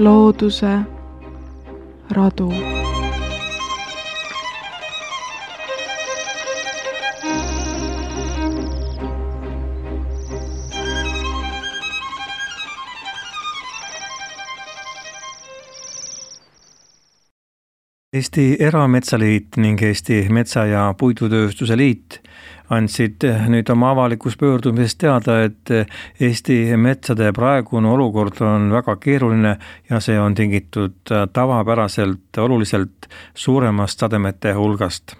looduse radu. Eesti Erametsaliit ning Eesti Metsa- ja Puidutööstuse Liit andsid nüüd oma avalikus pöördumises teada, et Eesti metsade praegune olukord on väga keeruline ja see on tingitud tavapäraselt oluliselt suuremast sademete hulgast.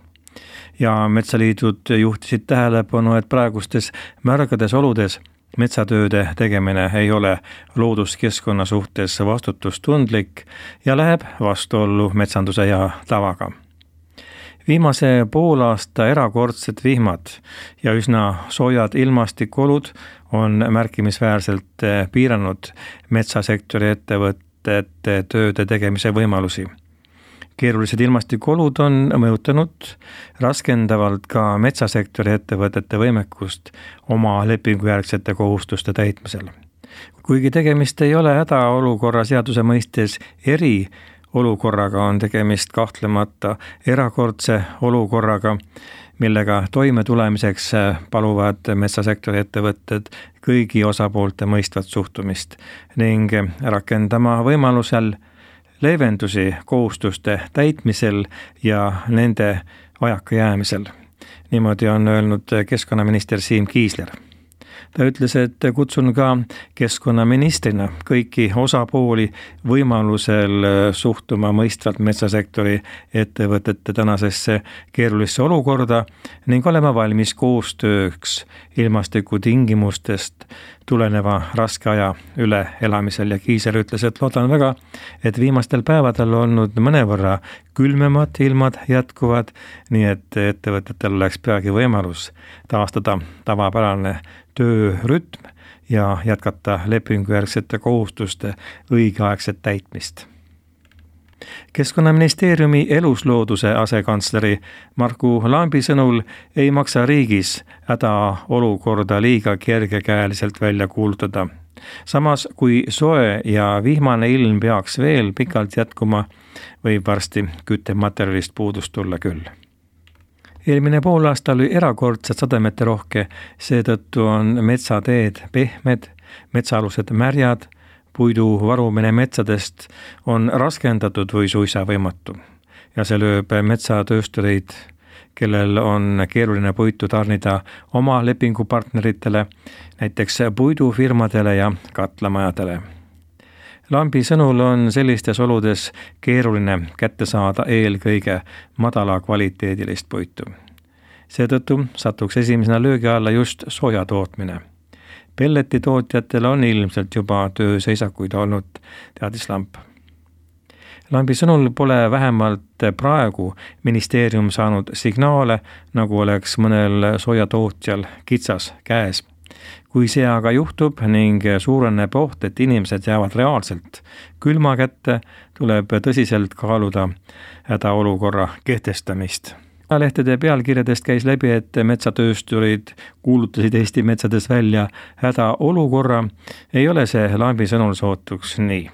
Ja metsaliidud juhtisid tähelepanu, et praegustes märgades oludes metsatööde tegemine ei ole looduskeskkonna suhtes vastutustundlik ja läheb vastuollu metsanduse ja tavaga. Viimase poolaasta erakordsed vihmad ja üsna soojad ilmastikuolud on märkimisväärselt piiranud metsasektori ettevõtete tööde tegemise võimalusi. Keerulised ilmastikuolud on mõjutanud raskendavalt ka metsasektori ettevõtete võimekust oma lepingujärgsete kohustuste täitmisel. Kuigi tegemist ei ole hädaolukorra seaduse mõistes eriolukorraga, on tegemist kahtlemata erakordse olukorraga, millega toime tulemiseks paluvad metsasektori ettevõtted kõigi osapoolte mõistvat suhtumist ning rakendama võimalusel leevendusi kohustuste täitmisel ja nende vajakajäämisel. Niimoodi on öelnud keskkonnaminister Siim Kiisler. Ta ütles, et kutsun ka keskkonnaministrina kõiki osapooli võimalusel suhtuma mõistvalt metsasektori ettevõtete tänasesse keerulisse olukorda ning olema valmis koostööks ilmastikutingimustest tuleneva raske aja üle elamisel. Ja Kiisler ütles, et loodan väga, et viimastel päevadel olnud mõnevõrra külmemad ilmad jätkuvad, nii et ettevõtetel oleks peagi võimalus taastada tavapärane töörütm ja jätkata lepingujärgsete kohustuste õigeaegset täitmist. Keskkonnaministeeriumi eluslooduse asekantsleri Marku Lambi sõnul ei maksa riigis hädaolukorda liiga kergekäeliselt välja kuulutada. Samas, kui soe ja vihmane ilm peaks veel pikalt jätkuma, võib varsti küttematerjalist puudust tulla küll. Eelmine poolaasta oli erakordselt sademete rohke, seetõttu on metsateed pehmed, metsaalused märjad, puidu varumine metsadest on raskendatud või suisa võimatu. Ja see lööb metsatööstureid, kellel on keeruline puitu tarnida oma lepingupartneritele, näiteks puidufirmadele ja katlamajadele. Lambi sõnul on sellistes oludes keeruline kätte saada eelkõige madala kvaliteedilist puitu. Seetõttu satuks esimesena löögi alla just soja tootmine. Pelletitootjatel on ilmselt juba tööseisakuid olnud, teadis Lamp. Lambi sõnul pole vähemalt praegu ministeerium saanud signaale, nagu oleks mõnel soojatootjal kitsas käes. Kui see aga juhtub ning suureneb oht, et inimesed jäävad reaalselt külma kätte, tuleb tõsiselt kaaluda hädaolukorra kehtestamist. Lehtede pealkirjadest käis läbi, et metsatöösturid kuulutasid Eesti metsades välja hädaolukorra. Ei ole see Lambi sõnul sootuks nii.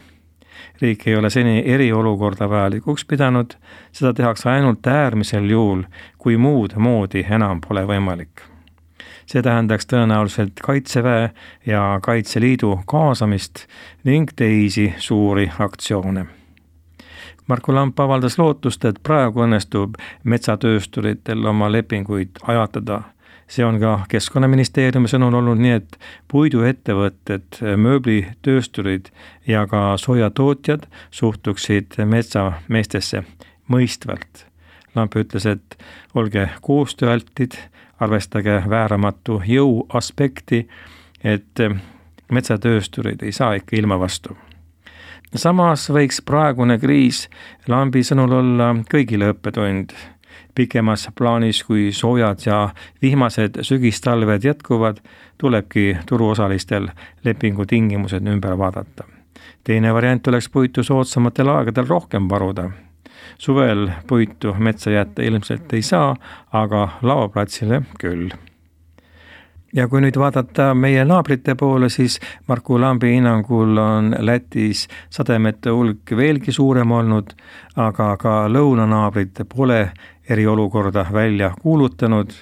Riik ei ole seni eriolukorda vajalikuks pidanud, seda tehakse ainult äärmisel juhul, kui muud moodi enam pole võimalik. See tähendaks tõenäoliselt Kaitseväe ja Kaitseliidu kaasamist ning teisi suuri aktsioone. Marku Lamp avaldas lootust, et praegu õnnestub metsatöösturitel oma lepinguid ajatada. See on ka Keskkonnaministeeriumi sõnul olnud nii, et puiduettevõtted, mööblitöösturid ja ka soojatootjad suhtuksid metsameestesse mõistvalt. Lamp ütles, et olge koostööaltid, arvestage vääramatu jõu aspekti, et metsatöösturid ei saa ikka ilma vastu. Samas võiks praegune kriis Lambi sõnul olla kõigile õppetund. Pikemas plaanis, kui soojad ja vihmased sügistalved jätkuvad, tulebki turuosalistel lepingutingimused ümber vaadata. Teine variant oleks puitu soodsamatel aegadel rohkem varuda. Suvel puitu metsa jätta ilmselt ei saa, aga laoplatsile küll. Ja kui nüüd vaadata meie naabrite poole, siis Marku Lambi hinnangul on Lätis sademete hulk veelgi suurem olnud, aga ka lõunanaabrid pole eriolukorda välja kuulutanud.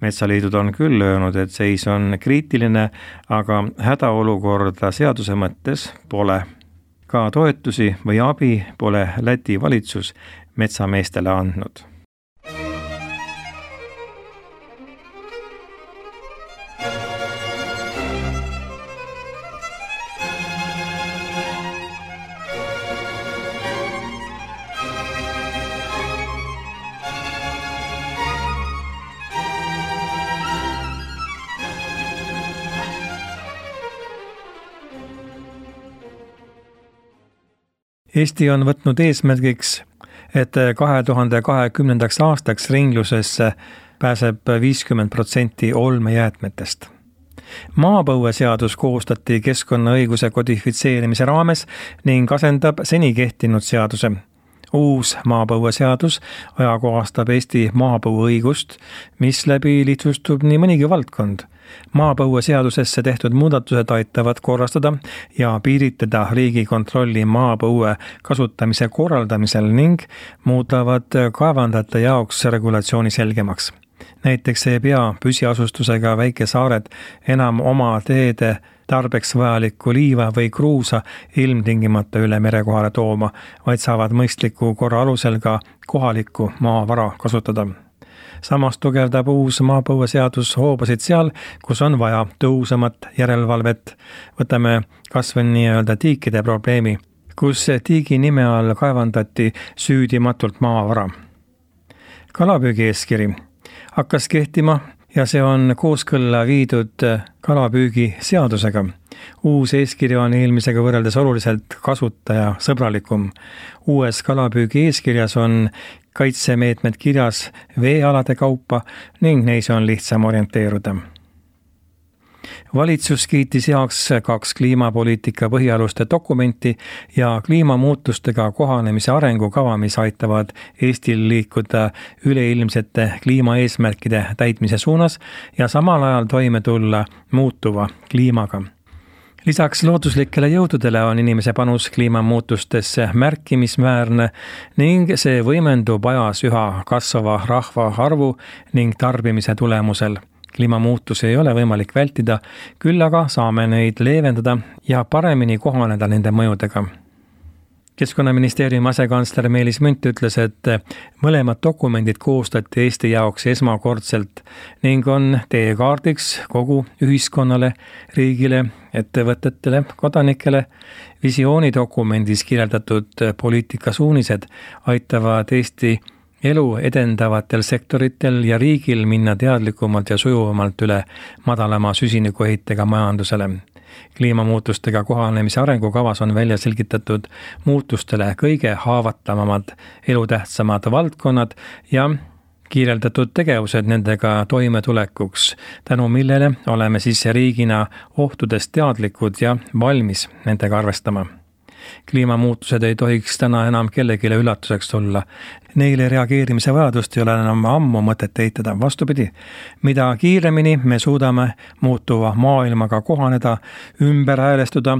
Metsaliidud on küll öelnud, et seis on kriitiline, aga hädaolukorda seaduse mõttes pole. Ka toetusi või abi pole Läti valitsus metsameestele andnud. Eesti on võtnud eesmärgiks, et 2020. aastaks ringlusesse pääseb 50% olmejäätmetest. Maapõueseadus koostati keskkonnaõiguse kodifitseerimise raames ning asendab seni kehtinud seaduse. Uus maapõueseadus ajakohastab Eesti maapõueõigust, mis läbi lihtsustub nii mõnigi valdkond. Maapõueseadusesse tehtud muudatused aitavad korrastada ja piiritleda Riigikontrolli maapõue kasutamise korraldamisel ning muudavad kaevandajate jaoks regulatsiooni selgemaks. Näiteks ei pea püsiasustusega väikesaared enam oma teede tarbeks vajalikku liiva või kruusa ilmtingimata üle merekohale tooma, vaid saavad mõistliku korra alusel ka kohalikku maavara kasutada. Samas tugevdab uus maapõueseadus hoobasid seal, kus on vaja tõhusamat järelevalvet. Võtame kas või nii-öelda tiikide probleemi, kus tiigi nime all kaevandati süüdimatult maavara. Kalapüügieeskiri hakkas kehtima ja see on kooskõlla viidud kalapüügiseadusega. Uus eeskiri on eelmisega võrreldes oluliselt kasutajasõbralikum. Uues kalapüügieeskirjas on kaitsemeetmed kirjas veealade kaupa ning neis on lihtsam orienteeruda. Valitsus kiitis heaks 2 kliimapoliitika põhialuste dokumenti ja kliimamuutustega kohanemise arengukava, mis aitavad Eestil liikuda üleilmsete kliimaeesmärkide täitmise suunas ja samal ajal toime tulla muutuva kliimaga. Lisaks looduslikele jõududele on inimese panus kliimamuutustesse märkimisväärne ning see võimendub ajas üha kasvava rahvaarvu ning tarbimise tulemusel. Kliimamuutusi ei ole võimalik vältida, küll aga saame neid leevendada ja paremini kohaneda nende mõjudega. Keskkonnaministeeriumi asekantsler Meelis Münt ütles, et mõlemad dokumendid koostati Eesti jaoks esmakordselt ning on teekaardiks kogu ühiskonnale, riigile, ettevõtetele, kodanikele. Visioonidokumendis kirjeldatud poliitikasuunised aitavad Eesti elu edendavatel sektoritel ja riigil minna teadlikumalt ja sujuvamalt üle madalama süsinikuheitega majandusele. Kliimamuutustega kohanemise arengukavas on välja selgitatud muutustele kõige haavatavamad elutähtsamad valdkonnad ja kirjeldatud tegevused nendega toimetulekuks, tänu millele oleme siis riigina ohtudest teadlikud ja valmis nendega arvestama. Kliimamuutused ei tohiks täna enam kellegile üllatuseks tulla. Neile reageerimise vajadust ei ole enam ammu mõtet eitada. Vastupidi, mida kiiremini me suudame muutuva maailmaga kohaneda, ümber häälestuda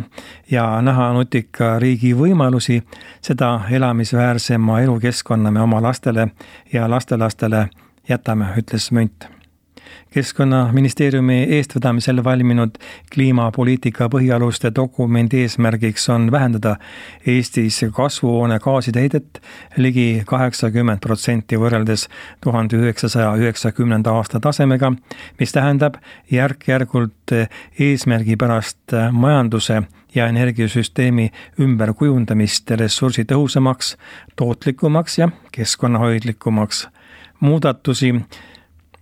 ja näha nutika riigi võimalusi, seda elamisväärsema elukeskkonna me oma lastele ja lastelastele jätame, ütles Münt. Keskkonnaministeeriumi eestvedamisel valminud kliimapoliitika põhialuste dokumendi eesmärgiks on vähendada Eestis kasvuhoonegaaside heidet ligi 80% võrreldes 1990. aasta tasemega, mis tähendab järk-järgult eesmärgipärast majanduse ja energiasüsteemi ümberkujundamist ressursitõhusamaks, tootlikumaks ja keskkonnahoidlikumaks. Muudatusi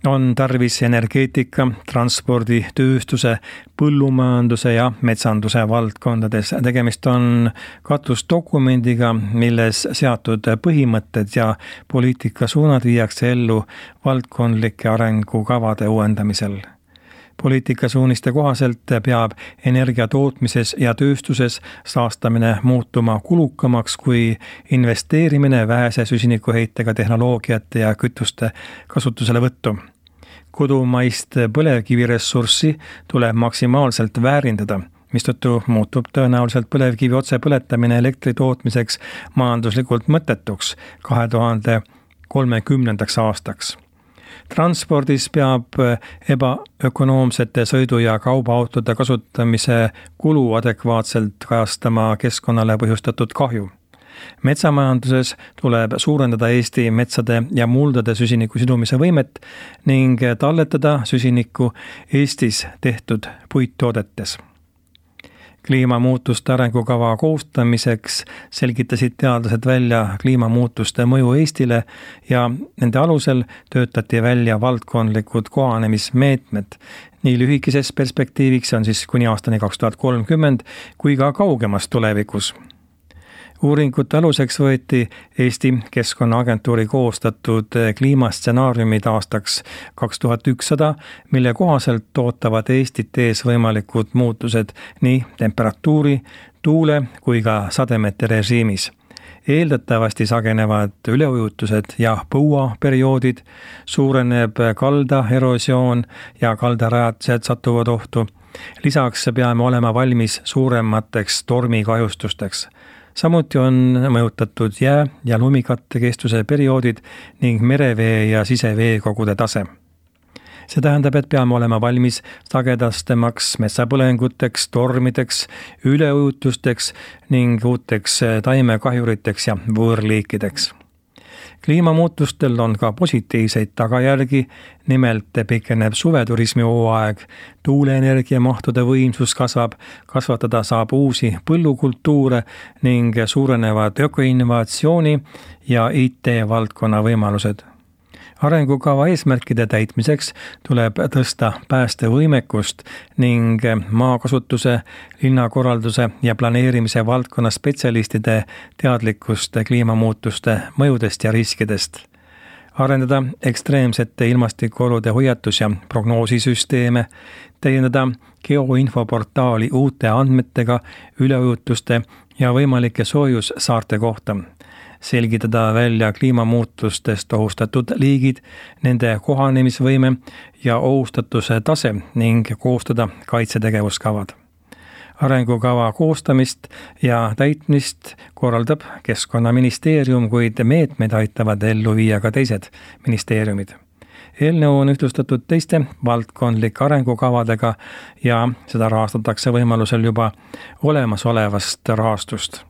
on tarvis energeetika, transpordi, tööstuse, põllumajanduse ja metsanduse valdkondades. Tegemist on katusdokumendiga, milles seatud põhimõtted ja poliitikasuunad viiakse ellu valdkondlike arengukavade uuendamisel. Poliitikasuuniste kohaselt peab energia tootmises ja tööstuses saastamine muutuma kulukamaks kui investeerimine vähese süsinikuheitega tehnoloogiate ja kütuste kasutuselevõttu. Kodumaist põlevkiviressurssi tuleb maksimaalselt väärindada, mistõttu muutub tõenäoliselt põlevkivi otsepõletamine elektri tootmiseks majanduslikult mõttetuks 2030. aastaks. Transpordis peab ebaökonoomsete sõidu- ja kaubaautode kasutamise kulu adekvaatselt kajastama keskkonnale põhjustatud kahju. Metsamajanduses tuleb suurendada Eesti metsade ja muldade süsiniku sidumise võimet ning talletada süsinikku Eestis tehtud puittoodetes. Kliimamuutuste arengukava koostamiseks selgitasid teadlased välja kliimamuutuste mõju Eestile ja nende alusel töötati välja valdkondlikud kohanemismeetmed. Nii lühikeses perspektiiviks on siis kuni aastani 2030 kui ka kaugemas tulevikus. Uuringute aluseks võeti Eesti Keskkonnaagentuuri koostatud kliimastsenaariumid aastaks 2100, mille kohaselt ootavad Eestit ees võimalikud muutused nii temperatuuri, tuule kui ka sademete režiimis. Eeldatavasti sagenevad üleujutused ja põuaperioodid, suureneb kalda erosioon ja kaldarajatised satuvad ohtu. Lisaks peame olema valmis suuremateks tormikahjustusteks. Samuti on mõjutatud jää- ja lumikatte kestuse perioodid ning merevee ja siseveekogude tase. See tähendab, et peame olema valmis sagedastemaks metsapõlenguteks, tormideks, üleujutusteks ning uuteks taimekahjuriteks ja võõrliikideks. Kliimamuutustel on ka positiivseid tagajärgi, nimelt pikeneb suveturismi hooaeg, tuuleenergia mahtude võimsus kasvab, kasvatada saab uusi põllukultuure ning suurenevad ökoinnovatsiooni ja IT-valdkonna võimalused. Arengukava eesmärkide täitmiseks tuleb tõsta päästevõimekust ning maakasutuse, linnakorralduse ja planeerimise valdkonna spetsialistide teadlikkust kliimamuutuste mõjudest ja riskidest. Arendada ekstreemsete ilmastikuolude hoiatus- ja prognoosisüsteeme, täiendada geoinfoportaali uute andmetega üleujutuste ja võimalike soojussaarte kohta. Selgitada välja kliimamuutustest ohustatud liigid, nende kohanemisvõime ja ohustatuse tase ning koostada kaitsetegevuskavad. Arengukava koostamist ja täitmist korraldab Keskkonnaministeerium, kuid meetmeid aitavad ellu viia ka teised ministeeriumid. Eelnõu on ühtlustatud teiste valdkondlike arengukavadega ja seda rahastatakse võimalusel juba olemasolevast rahastust.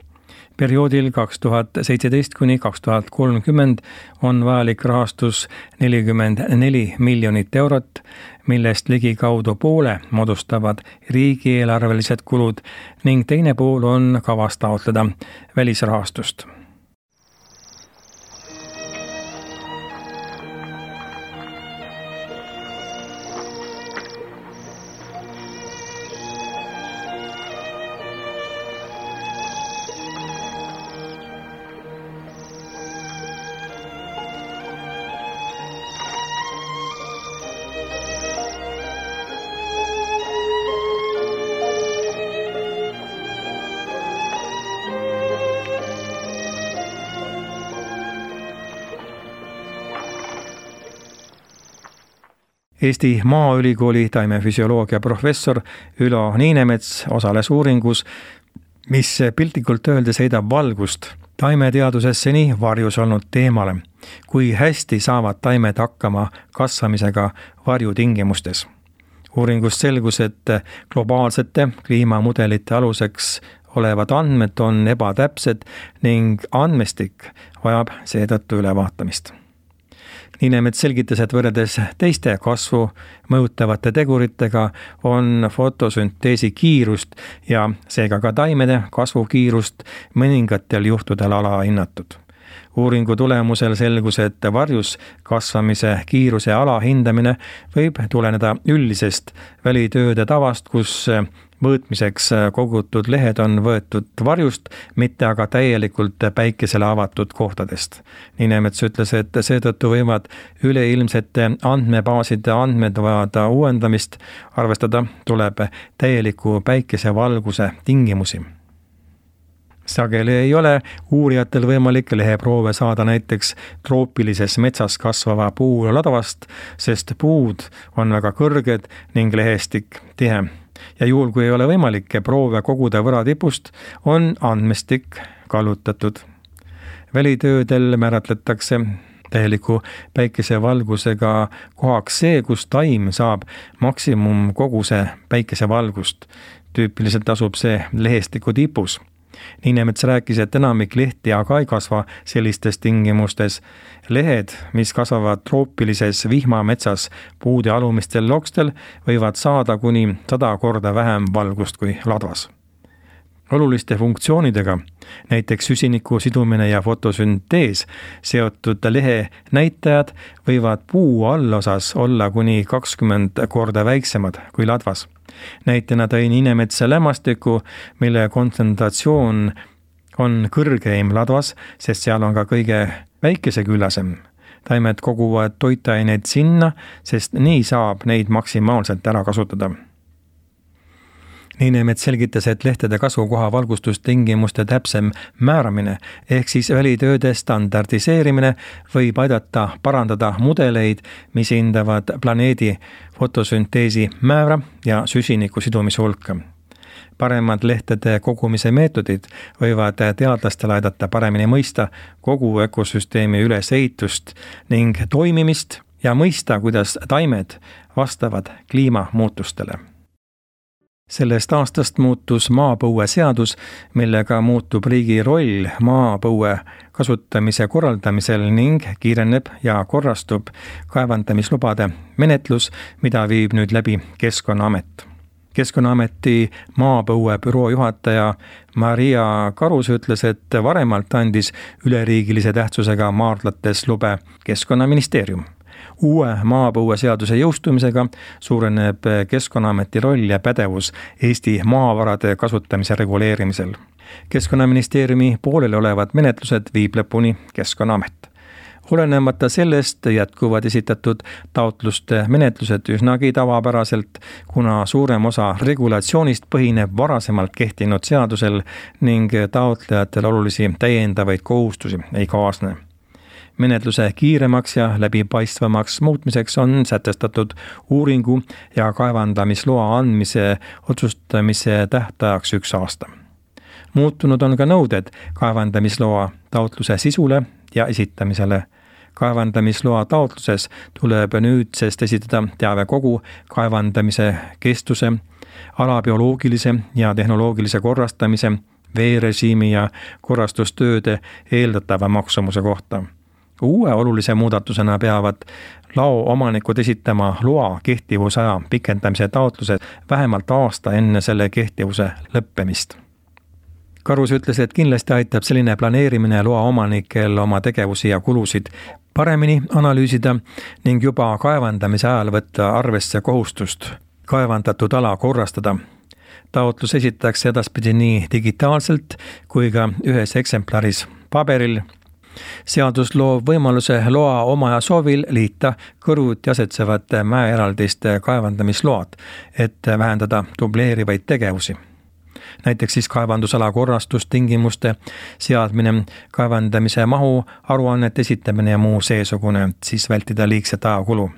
Perioodil 2017 kuni 2030 on vajalik rahastus 44 miljonit eurot, millest ligikaudu poole moodustavad riigieelarvelised kulud ning teine pool on kavas taotleda välisrahastust. Eesti Maaülikooli taimefüsioloogia professor Ülo Niinemets osales uuringus, mis piltlikult öeldes heidab valgust taimeteaduses seni varjus olnud teemale, kui hästi saavad taimed hakkama kasvamisega varjutingimustes. Uuringust selgus, et globaalsete kliimamudelite aluseks olevad andmed on ebatäpsed ning andmestik vajab seetõttu ülevaatamist. Niinemets selgitas, et võrreldes teiste kasvu mõjutavate teguritega on fotosünteesi kiirust ja seega ka taimede kasvukiirust mõningatel juhtudel alahinnatud. Uuringu tulemusel selgus, et varjus kasvamise kiiruse alahindamine võib tuleneda üldisest välitööde tavast, kus mõõtmiseks kogutud lehed on võetud varjust, mitte aga täielikult päikesele avatud kohtadest. Niinemets ütles, et seetõttu võivad üleilmsete andmebaaside andmed vajada uuendamist, arvestada tuleb täieliku päikesevalguse tingimusi. Sageli ei ole uurijatel võimalik leheproove saada näiteks troopilises metsas kasvava puu ladvast, sest puud on väga kõrged ning lehestik tihe. Ja juhul, kui ei ole võimalik proove koguda võratipust, on andmestik kallutatud. Välitöödel määratletakse täieliku päikesevalgusega kohaks see, kus taim saab maksimumkoguse päikesevalgust. Tüüpiliselt asub see lehestiku tipus. Niinemets rääkis, et enamik lehti aga ei kasva sellistes tingimustes. Lehed, mis kasvavad troopilises vihmametsas puude alumistel lokstel, võivad saada kuni 100 korda vähem valgust kui ladvas. Oluliste funktsioonidega, näiteks süsiniku sidumine ja fotosüntees, seotud lehe näitajad võivad puu allosas olla kuni 20 korda väiksemad kui ladvas. Näitena tõi Niinemetsa lämmastiku, mille kontsentratsioon on kõrgeim ladvas, sest seal on ka kõige väikeseküllasem. Taimed koguvad toitaineid sinna, sest nii saab neid maksimaalselt ära kasutada. Niinemets selgitas, et lehtede kasvukoha valgustustingimuste täpsem määramine ehk siis välitööde standardiseerimine võib aidata parandada mudeleid, mis hindavad planeedi fotosünteesi määra ja süsiniku sidumise hulka. Paremad lehtede kogumise meetodid võivad teadlastel aidata paremini mõista kogu ökosüsteemi ülesehitust ning toimimist ja mõista, kuidas taimed vastavad kliimamuutustele. Sellest aastast muutus maapõue seadus, millega muutub riigi roll maapõue kasutamise korraldamisel ning kiireneb ja korrastub kaevandamislubade menetlus, mida viib nüüd läbi Keskkonnaamet. Keskkonnaameti maapõuebüroo juhataja Maria Karus ütles, et varemalt andis üleriigilise tähtsusega maardlates lube Keskkonnaministeerium. Uue maapõueseaduse jõustumisega suureneb Keskkonnaameti roll ja pädevus Eesti maavarade kasutamise reguleerimisel. Keskkonnaministeeriumi pooleli olevad menetlused viib lõpuni Keskkonnaamet. Olenemata sellest jätkuvad esitatud taotluste menetlused üsnagi tavapäraselt, kuna suurem osa regulatsioonist põhineb varasemalt kehtinud seadusel ning taotlejatel olulisi täiendavaid kohustusi ei kaasne. Menetluse kiiremaks ja läbipaistvamaks muutmiseks on sätestatud uuringu ja kaevandamisloa andmise otsustamise tähtajaks 1 aasta. Muutunud on ka nõuded kaevandamisloa taotluse sisule ja esitamisele. Kaevandamisloa taotluses tuleb nüüdsest esitada teave kogu kaevandamise kestuse, ala bioloogilise ja tehnoloogilise korrastamise, veerežiimi ja korrastustööde eeldatava maksumuse kohta. Uue olulise muudatusena peavad lao omanikud esitama loa kehtivusaja pikendamise taotluse vähemalt aasta enne selle kehtivuse lõppemist. Karus ütles, et kindlasti aitab selline planeerimine loa omanikel oma tegevusi ja kulusid paremini analüüsida ning juba kaevandamise ajal võtta arvesse kohustust kaevandatud ala korrastada. Taotlus esitatakse edaspidi nii digitaalselt kui ka ühes eksemplaris paberil. Seadus loob võimaluse loa omaja soovil liita kõrvuti asetsevate mäeeraldiste kaevandamisload, et vähendada dubleerivaid tegevusi. Näiteks siis kaevandusala korrastustingimuste seadmine, kaevandamise mahu, aruannete esitamine ja muu seesugune, siis vältida liigset ajakulu.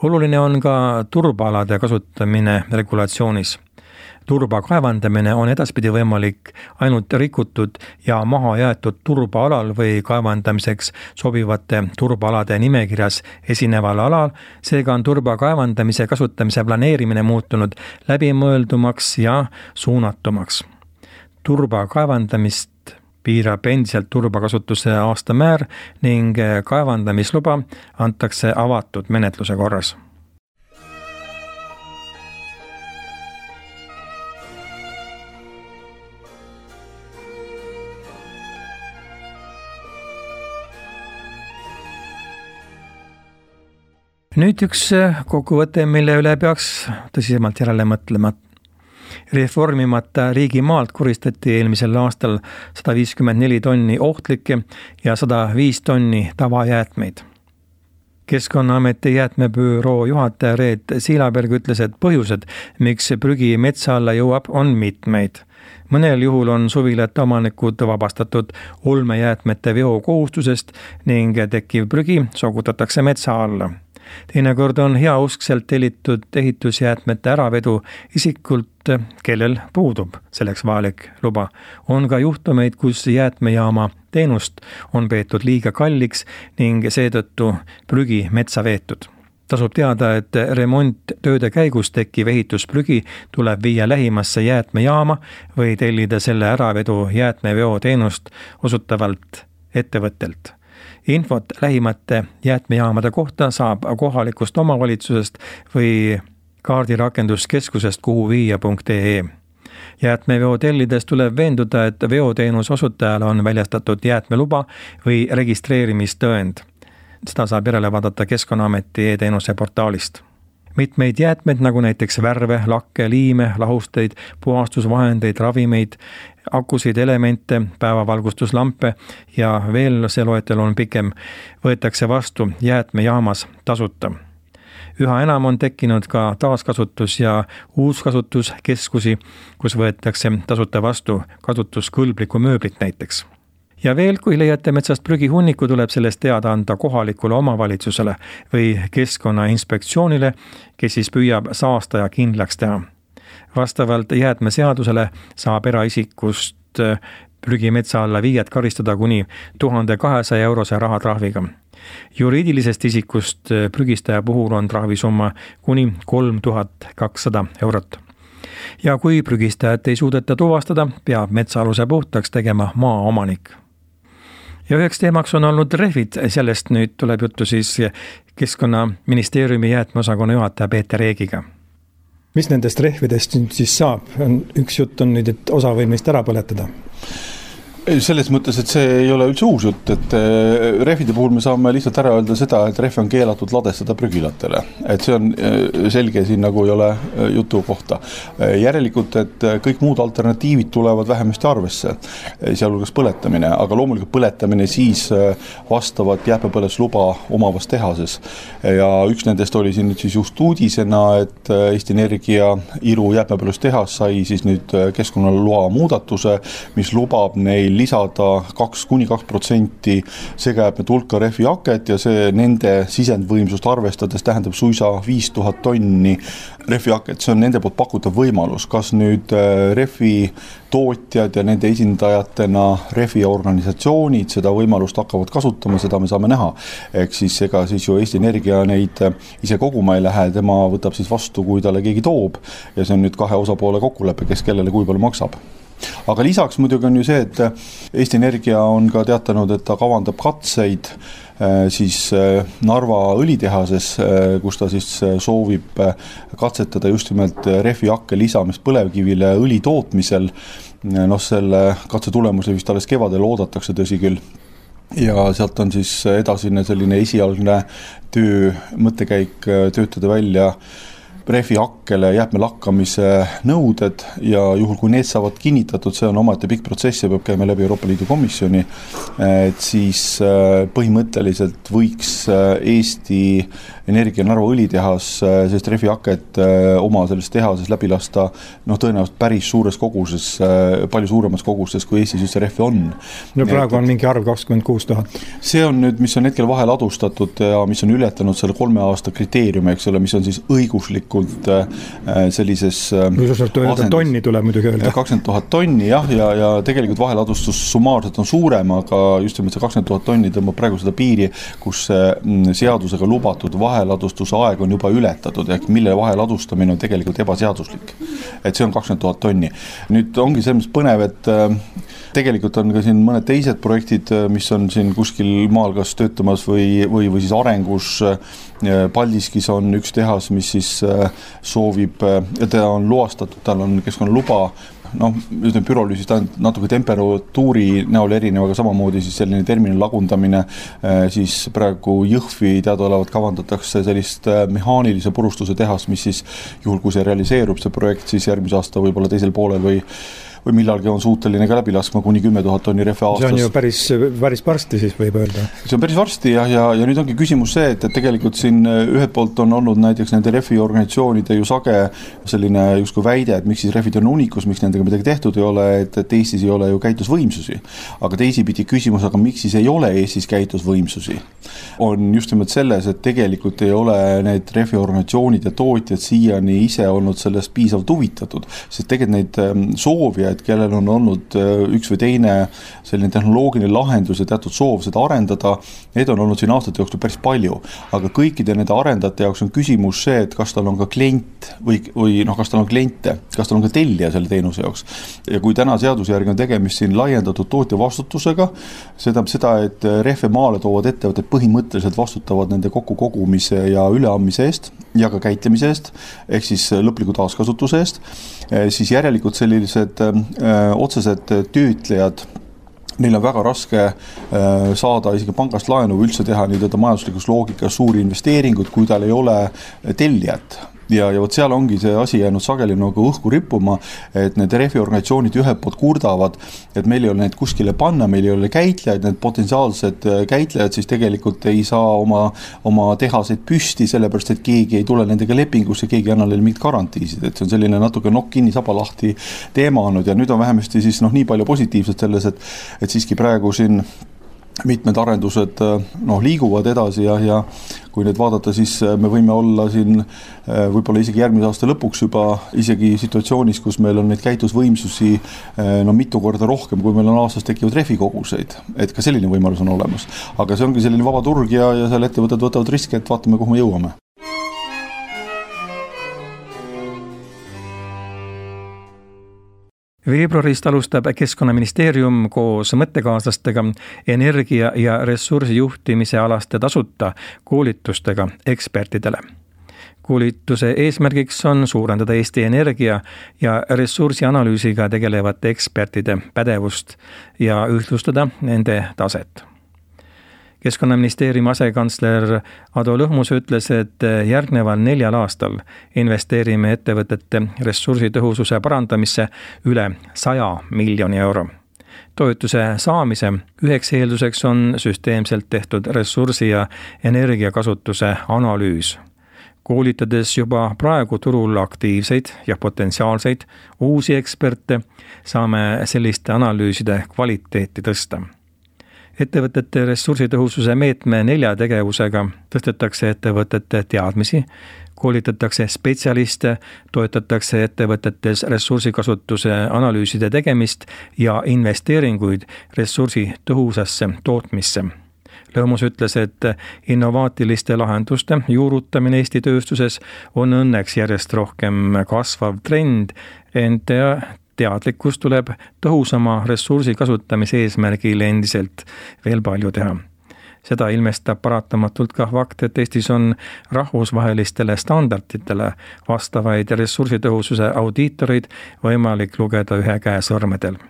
Oluline on ka turbaalade kasutamine regulatsioonis. Turba kaevandamine on edaspidi võimalik ainult rikutud ja maha jäetud turbaalal või kaevandamiseks sobivate turbaalade nimekirjas esineval alal, seega on turba kaevandamise kasutamise planeerimine muutunud läbimõeldumaks ja suunatumaks. Turba kaevandamist piirab endiselt turbakasutuse aastamäär ning kaevandamisluba antakse avatud menetluse korras. Nüüd üks kokkuvõte, mille üle peaks tõsisemalt järele mõtlema. Reformimata riigimaalt koristati eelmisel aastal 154 tonni ohtlikke ja 105 tonni tavajäätmeid. Keskkonnaameti jäätmebüroo juhataja Reet Siilaberg ütles, et põhjused, miks prügi metsa alla jõuab, on mitmeid. Mõnel juhul on suvilate omanikud vabastatud olmejäätmete veo kohustusest ning tekkiv prügi sogutatakse metsa alla. Teinekord on heauskselt tellitud ehitusjäätmete äravedu isikult, kellel puudub selleks vajalik luba. On ka juhtumeid, kus jäätmejaama teenust on peetud liiga kalliks ning seetõttu prügi metsa veetud. Tasub teada, et remonttööde käigus tekkiv ehitusprügi tuleb viia lähimasse jäätmejaama või tellida selle äravedu jäätmeveo teenust osutavalt ettevõttelt. Infot lähimate jäätmejaamade kohta saab kohalikust omavalitsusest või kaardirakenduskeskusest kuhuviia.ee. Jäätmeveo tellides tuleb veenduda, et veoteenuse osutajale on väljastatud jäätmeluba või registreerimistõend. Seda saab järele vaadata Keskkonnaameti e-teenuse portaalist. Mitmeid jäätmeid, nagu näiteks värve, lakke, liime, lahusteid, puhastusvahendeid, ravimeid, akusid, elemente, päevavalgustuslampe ja veel see loetel on pikem, võetakse vastu jäätmejaamas tasuta. Üha enam on tekkinud ka taaskasutus- ja uuskasutuskeskusi, kus võetakse tasuta vastu kasutuskõlblikku mööblit näiteks. Ja veel, kui leiate metsast prügihunniku, tuleb sellest teada anda kohalikule omavalitsusele või Keskkonnainspektsioonile, kes siis püüab saastaja kindlaks teha. Vastavalt jäätmeseadusele saab eraisikust prügimetsa alla viijat karistada kuni 1200 eurose rahatrahviga. Juriidilisest isikust prügistaja puhul on trahvisumma kuni 3200 eurot. Ja kui prügistajat ei suudeta tuvastada, peab metsaaluse puhtaks tegema maaomanik. Ja üheks teemaks on olnud rehvid, sellest nüüd tuleb juttu siis Keskkonnaministeeriumi jäätmeosakonna juhataja Peeter Eegiga. Mis nendest rehvidest nüüd siis saab? Üks jutt on nüüd, et osa võib neist ära põletada. Selles mõttes, et see ei ole üldse uus jutt, et rehvide puhul me saame lihtsalt ära öelda seda, et rehve on keelatud ladestada prügilatele. Et see on selge, siin nagu ei ole jutu kohta. Järelikult, et kõik muud alternatiivid tulevad vähemasti arvesse, sealhulgas põletamine, aga loomulikult põletamine siis vastavat jäätmepõletusluba omavas tehases. Ja üks nendest oli siin nüüd siis just uudisena, et Eesti Energia Iru jäätmepõletustehas sai siis nüüd keskkonnaloa muudatuse, mis lubab neil lisada 2–2% segajäätmete hulka rehvihaket ja see nende sisendvõimsust arvestades tähendab suisa 5000 tonni rehvihaket. See on nende poolt pakutav võimalus. Kas nüüd rehvi tootjad ja nende esindajatena rehviorganisatsioonid seda võimalust hakkavad kasutama, seda me saame näha. Ehk siis ega siis ju Eesti Energia neid ise koguma ei lähe, tema võtab siis vastu, kui talle keegi toob ja see on nüüd kahe osapoole kokkulepe, kes kellele kui palju maksab. Aga lisaks muidugi on ju see, et Eesti Energia on ka teatanud, et ta kavandab katseid siis Narva õlitehases, kus ta siis soovib katsetada just nimelt rehvihakke lisamist põlevkivile õli tootmisel. Selle katse tulemusi vist alles kevadel oodatakse tõsi küll. Ja sealt on siis edasine selline esialgne mõttekäik töötada välja rehvihakkele jäätmelakkamise nõuded ja juhul kui need saavad kinnitatud, see on omaette pikk protsess ja peab käima läbi Euroopa Liidu komisjoni, et siis põhimõtteliselt võiks Eesti Energia Narva õlitehas sellist rehvihaket oma selles tehases läbi lasta tõenäoliselt päris suures koguses, palju suuremas koguses, kui Eestis üldse rehvi on. No praegu on mingi arv 26 000. See on nüüd, mis on hetkel vahel adustatud ja mis on ületanud selle 3 aasta kriteeriumi, eks ole, mis on siis õiguslikult sellises tonni tuleb muidugi öelda. 20 000 tonni, jah, ja tegelikult vaheladustus summaarselt on suurem, aga just nimelt see 20 000 tonni tõmbab praegu seda piiri, kus seadusega lubatud vaheladustuse aeg on juba ületatud, ehk mille vaheladustamine on tegelikult ebaseaduslik. Et see on 20 000 tonni. Nüüd ongi selles põnev, et tegelikult on ka siin mõned teised projektid, mis on siin kuskil maal kas töötamas või siis arengus. Paldiskis on üks tehas, mis siis soovib, ja ta on loastatud, tal on keskkonnaluba, pürolüüsist natuke temperatuuri näol erinev, aga samamoodi siis selline terminal lagundamine, siis praegu Jõhvi teadaolevat kavandatakse sellist mehaanilise purustuse tehas, mis siis juhul, kui see realiseerub, see projekt siis järgmise aasta võib-olla teisel poolel või või millalgi on suuteline ka läbi laskma kuni 10 000 tonni rehve aastas. See on ju päris varsti siis võib öelda. See on päris varsti ja nüüd ongi küsimus see, et tegelikult siin ühelt poolt on olnud näiteks nende rehvi organisatsioonide ju sage selline justkui väide, et miks siis rehvid on unikus, miks nendega midagi tehtud ei ole, et Eestis ei ole ju käitlusvõimsusi. Aga teisipidi küsimus, aga miks siis ei ole Eestis käitlusvõimsusi? On just nimelt selles, et tegelikult ei ole need rehviorganisatsioonid ja tootjad siiani ise olnud sellest piisavalt huvitatud, sest tegelikult neid soovijaid, kellel on olnud üks või teine selline tehnoloogiline lahendus ja teatud soov seda arendada, need on olnud siin aastate jooksul päris palju, aga kõikide nende arendajate jaoks on küsimus see, et kas tal on ka klient või kas tal on kliente, kas tal on ka tellija selle teenuse jaoks. Ja kui täna seaduse järgi on tegemist siin laiendatud tootja vastutusega, seda, et rehve maale toovad ettevõtted põhimõtteliselt vastutavad nende kokkukogumise ja üleandmise eest ja ka käitlemise eest, ehk siis lõpliku taaskasutuse eest, siis järelikult sellised otsesed töötlejad, neil on väga raske saada isegi pangast laenu või üldse teha nii-öelda majanduslikus loogikas suuri investeeringuid, kui tal ei ole tellijat. Ja vot seal ongi see asi jäänud sageli nagu õhku rippuma, et need rehviorganisatsioonid ühelt poolt kurdavad, et meil ei ole neid kuskile panna, meil ei ole käitlejaid, need potentsiaalsed käitlejad siis tegelikult ei saa oma tehaseid püsti, sellepärast et keegi ei tule nendega lepingusse, keegi ei anna neile mingit garantiisid, et see on selline natuke nokk kinni saba lahti teema olnud ja nüüd on vähemasti siis nii palju positiivset selles, et siiski praegu siin mitmed arendused liiguvad edasi ja kui need vaadata, siis me võime olla siin võib-olla isegi järgmise aasta lõpuks juba isegi situatsioonis, kus meil on neid käitlusvõimsusi mitu korda rohkem, kui meil on aastas tekivad rehvikoguseid, et ka selline võimalus on olemas. Aga see ongi selline vaba turg ja seal ettevõtted võtavad riske, et vaatame, kuhu me jõuame. Veebruarist alustab Keskkonnaministeerium koos mõttekaaslastega energia- ja ressursijuhtimise alaste tasuta koolitustega ekspertidele. Koolituse eesmärgiks on suurendada Eesti energia- ja ressursianalüüsiga tegelevate ekspertide pädevust ja ühtlustada nende taset. Keskkonnaministeeriumi asekantsler Ado Lõhmus ütles, et järgneval 4 aastal investeerime ettevõtete ressursitõhususe parandamisse üle 100 miljoni euro. Toetuse saamise üheks eelduseks on süsteemselt tehtud ressursi- ja energiakasutuse analüüs. Koolitades juba praegu turul aktiivseid ja potentsiaalseid uusi eksperte, saame selliste analüüside kvaliteeti tõsta. Ettevõtete ressursitõhususe meetme 4 tegevusega tõstetakse ettevõtete teadmisi, koolitatakse spetsialiste, toetatakse ettevõtetes ressursikasutuse analüüside tegemist ja investeeringuid ressursitõhusasse tootmisse. Lõhmus ütles, et innovaatiliste lahenduste juurutamine Eesti tööstuses on õnneks järjest rohkem kasvav trend, ent teadlikkus tuleb tõhusama ressursi kasutamise eesmärgil endiselt veel palju teha. Seda ilmestab paratamatult ka fakt, et Eestis on rahvusvahelistele standarditele vastavaid ressursitõhususe audiitoreid võimalik lugeda ühe käe sõrmedel.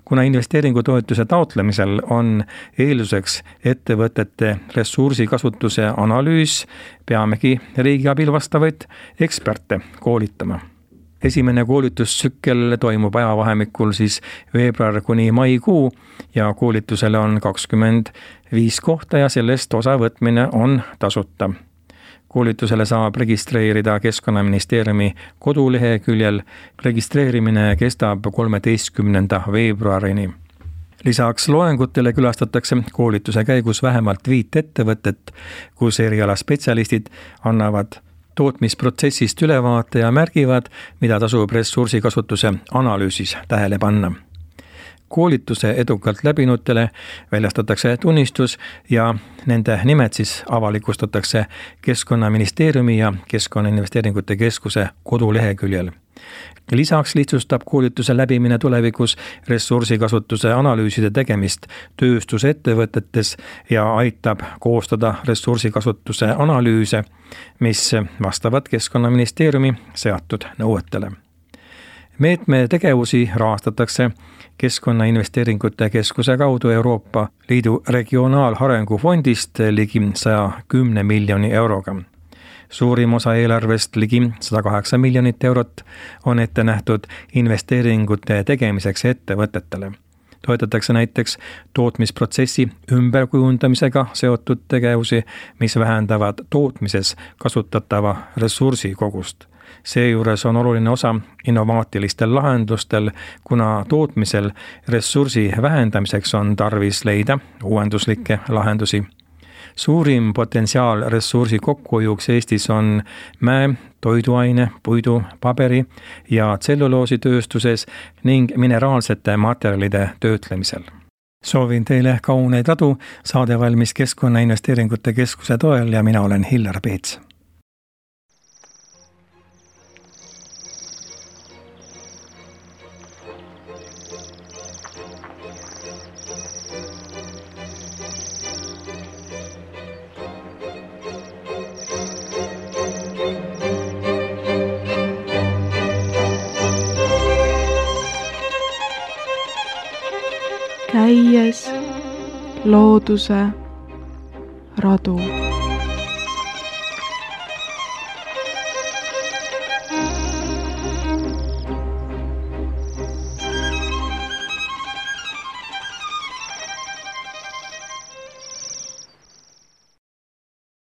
Kuna investeeringutoetuse taotlemisel on eelduseks ettevõtete ressursikasutuse analüüs, peamegi riigi abil vastavaid eksperte koolitama. Esimene koolitustsükkel toimub ajavahemikul siis veebruar kuni maikuu ja koolitusele on 25 kohta ja sellest osavõtmine on tasuta. Koolitusele saab registreerida Keskkonnaministeeriumi koduleheküljel. Registreerimine kestab 13. veebruarini. Lisaks loengutele külastatakse koolituse käigus vähemalt 5 ettevõtet, kus erialaspetsialistid annavad tootmisprotsessist ülevaate ja märgivad, mida tasub ressursikasutuse analüüsis tähele panna. Koolituse edukalt läbinutele väljastatakse tunnistus ja nende nimed siis avalikustatakse Keskkonnaministeeriumi ja Keskkonnainvesteeringute Keskuse koduleheküljel. Lisaks lihtsustab koolituse läbimine tulevikus ressursikasutuse analüüside tegemist tööstusettevõtetes ja aitab koostada ressursikasutuse analüüse, mis vastavad Keskkonnaministeeriumi seatud nõuetele. Meetme tegevusi rahastatakse Keskkonnainvesteeringute Keskuse kaudu Euroopa Liidu regionaalarengu fondist ligi 110 miljoni euroga. Suurim osa eelarvest, ligi 108 miljonit eurot, on ette nähtud investeeringute tegemiseks ettevõtetele. Toetatakse näiteks tootmisprotsessi ümberkujundamisega seotud tegevusi, mis vähendavad tootmises kasutatava ressursi kogust. Seejuures on oluline osa innovaatilistel lahendustel, kuna tootmisel ressursi vähendamiseks on tarvis leida uuenduslikke lahendusi. Suurim potentsiaal ressursi kokkuhoiuks Eestis on mäe, toiduaine, puidu, paberi ja tselluloositööstuses ning mineraalsete materjalide töötlemisel. Soovin teile kauneid radu, saade valmis Keskkonnainvesteeringute Keskuse toel ja mina olen Hillar Peets. Käies looduse radu.